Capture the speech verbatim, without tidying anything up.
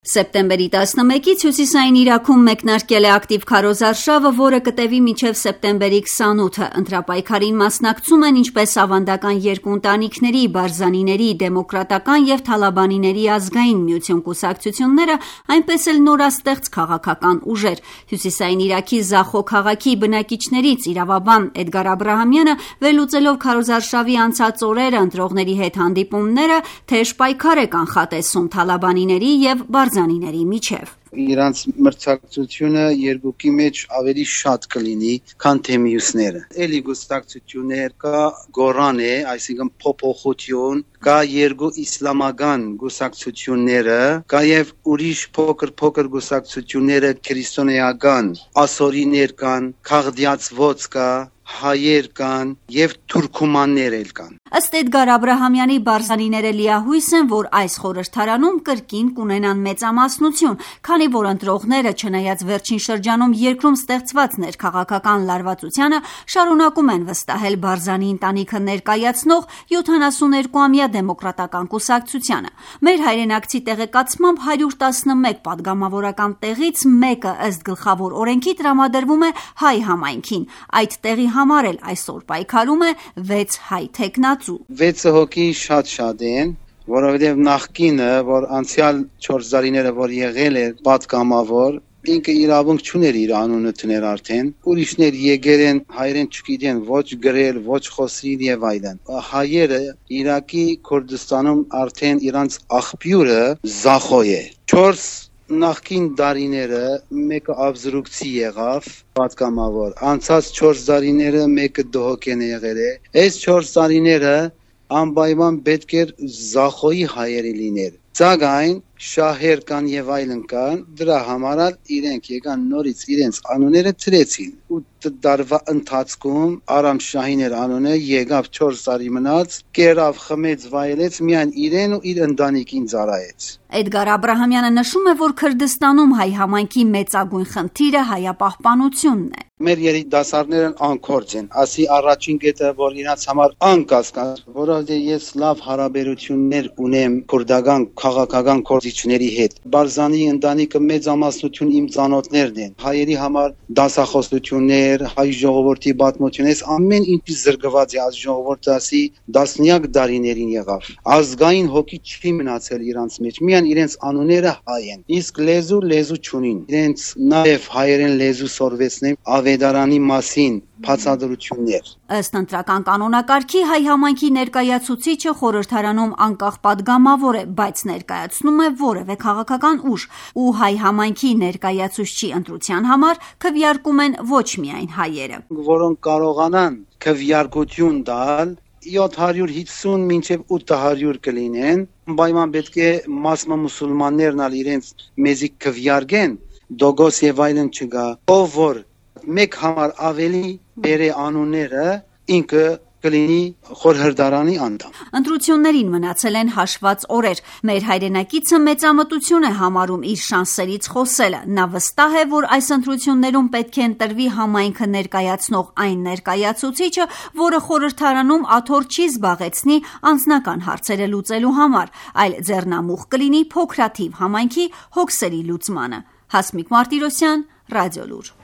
Սեպտեմբերի տասնմեկից հյուսիսային Իրաքում մեկնարկել է ակտիվ քարոզարշավը, որը կտևի մինչև սեպտեմբերի քսանութը։ Ընտրապայքարին մասնակցում են ինչպես ավանդական երկու ընտանիքների՝ Բարզանիների դեմոկրատական և Թալաբանիների ազգային միություն կուսակցությունները, այնպես էլ նորաստեղծ քաղաքական ուժեր։ Հյուսիսային Իրաքի Զախո քաղաքի բնակիչներից իրավաբան Էդգար Աբրահամյանը, վերլուծելով քարոզարշավի անցած օրերը, ընտրողների հետ հանդիպումները, թեժ պայքար է կանխատեսում Թալաբանիների և Բարզանիների միջև։ Իրանց մրցակցությունը երկուքի մեջ ավելի շատ կլինի, քան թե մյուսները։ Էլի գուսակցություններ կա գորան է, այսինքն փոփոխություն, կա երկու իսլամական գուսակցությունները, կա եւ ուրիշ փոքր-փոքր գուսակցությունները քրիստոնեական, ասորիներ կան, քաղդիացված կա, հայեր կան եւ թուրքումաններ էլ կան։ Ըստ Էդգար Աբրահամյանի, Բարզանիները լիահույս են, որ այս խորհրդարանում կրկին կունենան մեծամասնություն, քանի որ ընտրողները, չնայած վերջին շրջանում երկրում ստեղծված ներքաղաքական լարվածությանը, շարունակում են վստահել Բարզանի ընտանիքը ներկայացնող յոթանասուներկուամյա դեմոկրատական կուսակցությանը։ Մեր հայրենակցի տեղեկացմամբ հարյուր տասնմեկ պատգամավորական տեղից մեկը ըստ գլխավոր օրենքի տրամադրվում է հայ համայնքին։ Այդ տեղի համար էլ այսօր պայքարում է վեց հայ թեկնածու։ Վեցը հոգի շատ-շատ են, որովհետև նախկինը, որ անցյալ չորս տարիները, որ եղել է պատգամավոր, ինքը իրավունք չուներ իր անունը տներ արդեն, ուրիշներ եկել են, հայերեն չգիտեն, ոչ գրել, ոչ խոսել եւ այլն։ Հայերը Իրաքի Քուրդիստանում արդեն իրանց աղբյուրը Զախո է։ Չորս նախկին տարիները մեկը ավզրուկցի եղավ, պատգամավոր, անցած չորս տարիները մեկը դահոկեն եղել է։ Այս չորս տարիները անպայման պետք էր Զախոյի հայերը լիներ։ Սակայն շահեր կան եւ այլն կան, դրա համար իրենք եկան նորից իրենց անունները ծրեցին։ Ու տարվա ընթացքում Արամ Շահիներ անունը եկավ չորս տարի մնաց, կերավ, խմեց, վայելեց, միայն իրեն ու իր ընտանիքին ծառայեց։ Էդգար Աբրահամյանը նշում է, որ Քրդստանում հայ համայնքի մեծագույն խնդիրը հայապահպանությունն է։ Մեր երիտասարդներն անկորձ են, ասի առաջին կետը, որ իրաց համար անկասկած, որովհետև ես լավ հարաբերություններ ունեմ քուրդական քաղաքական գործիչների հետ։ Բարզանի ընտանիքը մեծամասնություն իմ ծանոթներն են։ Հայերի համար դասախոսություններ, հայ ժողովրդի պատմություններ, ամեն ինչ զրկված է, այս ժողովուրդը ասի տասնյակ տարիներին եղավ։ Ազգային հոգի չի մնացել իրանց մեջ, միայն իրենց անունները հայ են։ Իսկ լեզու լեզու չունին։ Իրենց նաև հայերեն լեզու սորվեցնեն ավետարանի մասին բացատրություններ։ Ըստ ընտրական կանոնակարգի հայ համայնքի ներկայացուցիչը խորհրդարանում անկախ պատգամավոր է, բայց ներկայացնում է որևէ քաղաքական ուժ, ու հայ համայնքի ներկայացուցչի ընտրության համար քվեարկում են ոչ միայն հայերը, որոնք կարողանան քվեարկություն տալ յոթ հարյուր հիսուն մինչև ութ հարյուր կլինեն, պայման պետք է մասնա մուսուլմաններն ալ իրենց մեզի քվեարկեն, դոգոս եւ այլն չկա, ով որ մեկ համար ավելի բերե անունները ինքը կլինի խորհրդարանի անդամ։ Ընտրություններին մնացել են հաշված օրեր։ Մեր հայրենակիցը մեծամտություն է համարում իր շանսերից խոսելը։ Նա վստահ է, որ այս ընտրություններում պետք է ընտրվի համայնքը ներկայացնող այն ներկայացուցիչը, որը խորհրդարանում աթոռ չի զբաղեցնի անձնական հարցերը լուծելու համար, այլ ձեռնամուխ կլինի փոքրաթիվ համայնքի հոգսերի լուծմանը։ Հասմիկ Մարտիրոսյան, Ռադիոլուր։